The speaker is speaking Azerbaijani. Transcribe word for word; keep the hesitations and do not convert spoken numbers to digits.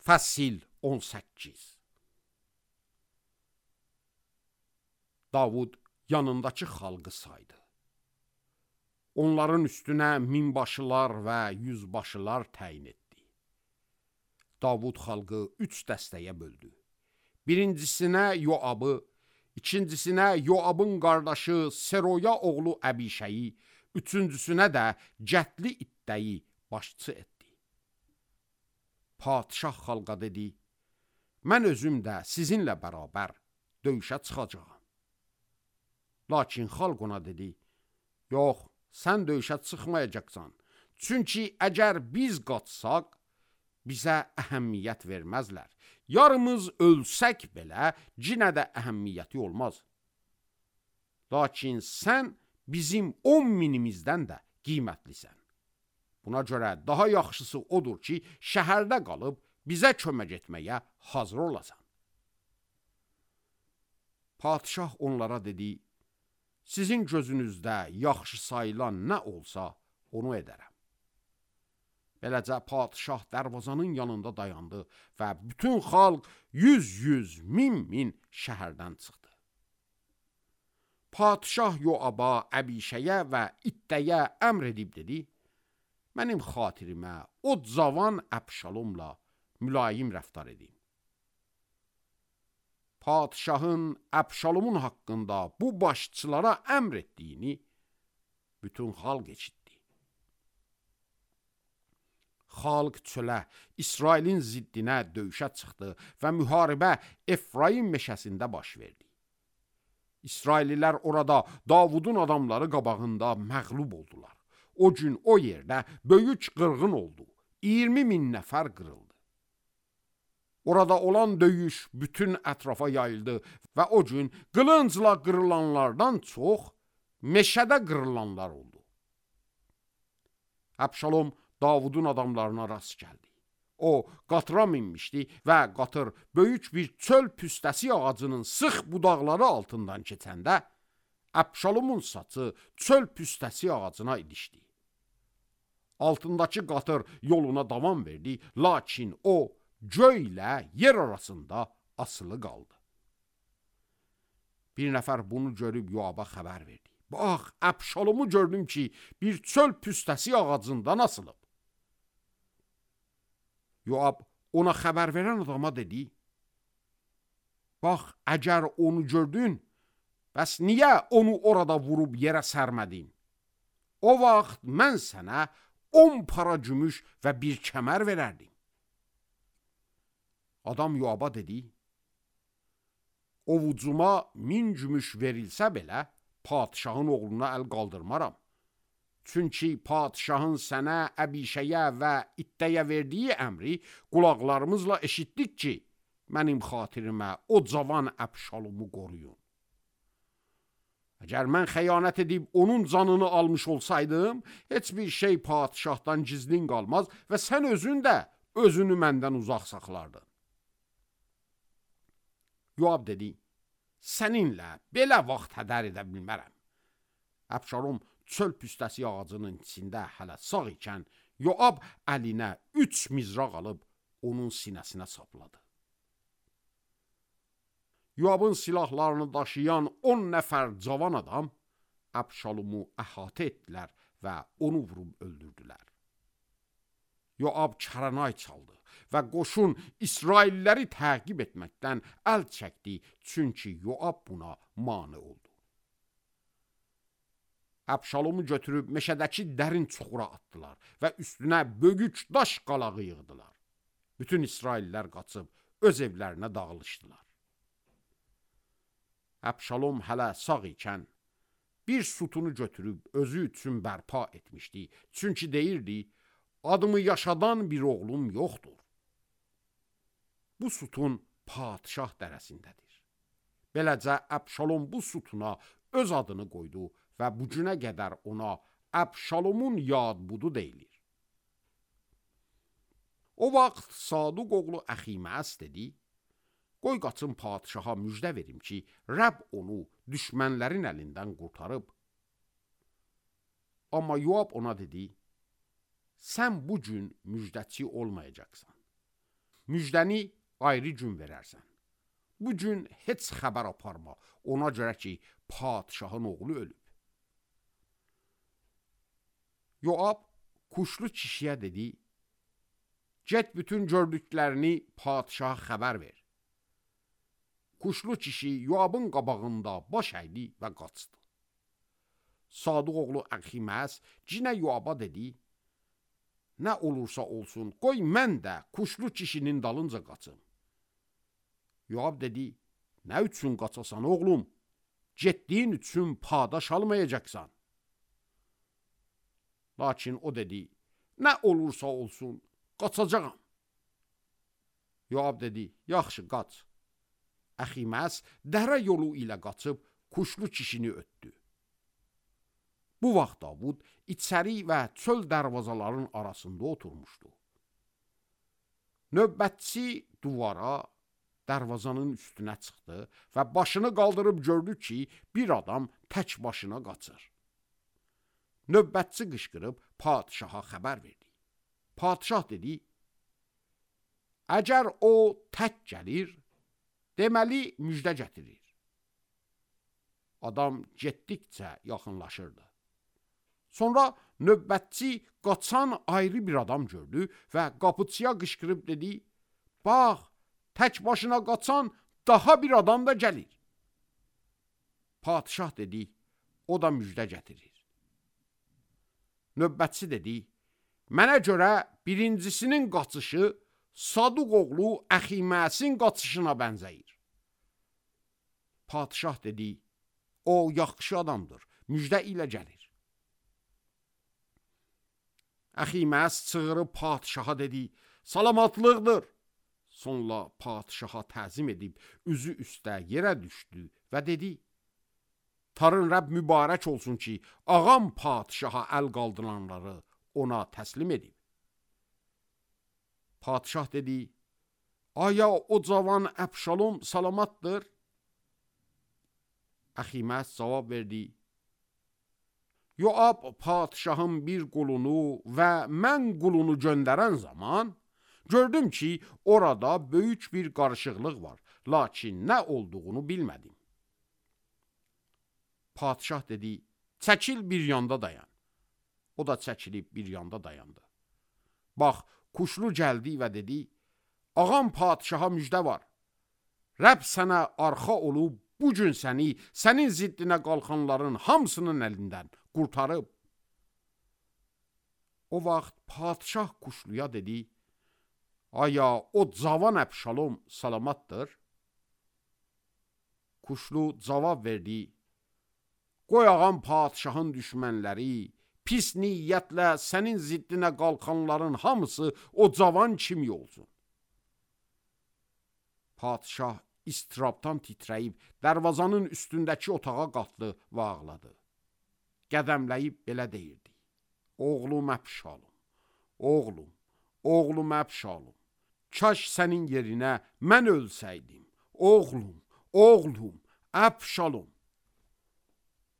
Fəsil on səkkiz. Davud yanındakı xalqı saydı. Onların üstünə minbaşılar və yüzbaşılar təyin etdi. Davud xalqı üç dəstəyə böldü. Birincisinə Yoabı, ikincisinə Yoabın qardaşı Seroya oğlu Əbişəyi, üçüncüsünə də cətli ittəyi başçı etdi. Padişah xalqa dedi, mən özüm də sizinlə bərabər döyüşə çıxacağam. Lakin xalq ona dedi, yox, sən döyüşə çıxmayacaqsan. Çünki əgər biz qaçsaq, bizə əhəmiyyət verməzlər. Yarımız ölsək belə, cinə də əhəmiyyəti olmaz. Lakin sən bizim on minimizdən də qiymətlisən. Buna görə daha yaxşısı odur ki, şəhərdə qalıb bizə kömək etməyə hazır olasan. Padişah onlara dedi, sizin gözünüzdə yaxşı sayılan nə olsa, onu edərəm. Beləcə padişah dərvazanın yanında dayandı və bütün xalq yüz-yüz, min-min şəhərdən çıxdı. Padişah Yoaba, Əbişəyə və ittəyə əmr edib dedi, mənim xatirimə o cavan Əbşalomla mülayim rəftar edin. Padişahın Əbşalomun haqqında bu başçılara əmr etdiyini bütün xalq eşitdi. Xalq çölə, İsrailin ziddinə döyüşə çıxdı və müharibə Efraim meşəsində baş verdi. İsraililər orada Davudun adamları qabağında məğlub oldular. O gün o yerdə böyük qırğın oldu. iyirmi min nəfər qırıldı. Orada olan döyüş bütün ətrafa yayıldı və o gün qılıncla qırılanlardan çox meşədə qırılanlar oldu. Əbşalom Davudun adamlarına rast gəldi. O qatıra minmişdi və qatır böyük bir çöl püstəsi ağacının sıx budaqları altından keçəndə Əbşalomun saçı çöl püstəsi ağacına ilişdi. Altındakı qatır yoluna davam verdi, lakin o göy ilə yer arasında asılı qaldı. Bir nəfər bunu görüb Yoaba xəbər verdi. Bax, Əbşalomu gördüm ki, bir çöl püstəsi ağacından asılıb. Yoab ona xəbər verən adama dedi, bax, əgər onu gördün, bəs niyə onu orada vurub yerə sərmədin? O vaxt mən sənə on para gümüş və bir kəmər verərdim. Adam Yoaba dedi, ovucuma min gümüş verilsə belə, padişahın oğluna əl qaldırmaram. Çünki padişahın sənə, Əbişəyə və ittəyə verdiyi əmri qulaqlarımızla eşitdik ki, mənim xatirimə o cavan Əbşalomu qoruyun. Əgər mən xəyanət edib onun canını almış olsaydım, heç bir şey padişahdan gizlin qalmaz və sən özün də özünü məndən uzaq saxlardın. Yoab dedi, səninlə belə vaxt hədər edə bilmərəm. Əbşalom çöl püstəsi ağacının içində hələ sağ ikən, Yoab əlinə üç mizraq alıb onun sinəsinə sapladı. Yoabın silahlarını daşıyan on nəfər cavan adam Əbşalomu əhatə etdilər və onu vurub öldürdülər. Yoab kəranay çaldı və qoşun İsrailləri təqib etməkdən əl çəkdi, çünki Yoab buna mane oldu. Əbşalomu götürüb meşədəki dərin çuxura atdılar və üstünə böyük daş qalağı yığdılar. Bütün İsraillər qaçıb öz evlərinə dağılışdılar. Əbşalom hələ sağ ikən bir sütunu götürüb özü üçün bərpa etmişdi. Çünki deyirdi, adımı yaşadan bir oğlum yoxdur. Bu sütun padişah dərəsindədir. Beləcə Əbşalom bu sütuna öz adını qoydu və bu günə qədər ona Əbşalomun yadbudu deyilir. O vaxt Saduq oğlu Əximəs dedi, qoy qaçın padişaha müjdə verim ki, Rəbb onu düşmənlərin əlindən qurtarıb. Amma Yoab ona dedi, sən bu gün müjdəçi olmayacaqsan. müjdəni ayrı gün verərsən. Bu gün heç xəbər aparma, ona görə ki, padişahın oğlu ölüb. Yoab kuşlu kişiyə dedi, get bütün gördüklərini padişaha xəbər ver. Kuşlu kişi Yoabın qabağında baş əydi və qaçdı. Sadıq oğlu Əximəs cinə Yoaba dedi, nə olursa olsun, qoy mən də kuşlu kişinin dalınca qaçım. Yoab dedi, nə üçün qaçasan oğlum? Getdiyin üçün padaş almayacaqsan. Lakin o dedi, nə olursa olsun, qaçacağam. Yoab dedi, yaxşı, qaç. Əximəs dərə yolu ilə qaçıb kuşlu kişini ötdü. Bu vaxt Davud içəri və çöl dərvazaların arasında oturmuşdu. Növbətçi duvara, dərvazanın üstünə çıxdı və başını qaldırıb gördü ki, bir adam tək başına qaçır. Növbətçi qışqırıb padişaha xəbər verdi. Padişah dedi, əgər o tək gəlir, deməli müjdə gətirir. Adam getdikcə yaxınlaşırdı. Sonra növbətçi qaçan ayrı bir adam gördü və qapıçıya qışqırıb dedi, bax, tək başına qaçan daha bir adam da gəlir. Padişah dedi, o da müjdə gətirir. Növbətçi dedi, mənə görə birincisinin qaçışı Sadıq oğlu Əximəsin qaçışına bənzəyir. Padişah dedi, o yaxşı adamdır, müjdə ilə gəlir. Əximəs çığırıb padişaha dedi, salamatlıqdır. Sonra padişaha təzim edib, üzü üstə yerə düşdü və dedi, Tarın Rəbb mübarək olsun ki, ağam padişaha əl qaldıranları ona təslim edib. Padişah dedi, aya o cavan Əbşalom salamatdır? Əximəs cavab verdi, Yoab padişahın bir qulunu və mən qulunu göndərən zaman, gördüm ki, orada böyük bir qarışıqlıq var, lakin nə olduğunu bilmədim. Padişah dedi, çəkil bir yanda dayan. O da çəkilib bir yanda dayandı. Bax, kuşlu gəldi və dedi, ağam padişaha müjdə var. Rəbb sənə arxa olub, bu gün səni, sənin ziddinə qalxanların hamısının əlindən qurtarıb. O vaxt padişah kuşluya dedi, aya o cavan Əbşalom salamatdır? Kuşlu cavab verdi, qoy ağam padişahın düşmənləri, pis niyyətlə sənin ziddinə qalxanların hamısı o cavan kimi olsun. Padişah istirabdan titrəyib, dərvazanın üstündəki otağa qalxdı və ağladı. Qədəmləyib belə deyirdi, oğlum Əbşalom, oğlum, oğlum Əbşalom, kaş sənin yerinə mən ölsəydim, oğlum, oğlum, Əbşalom.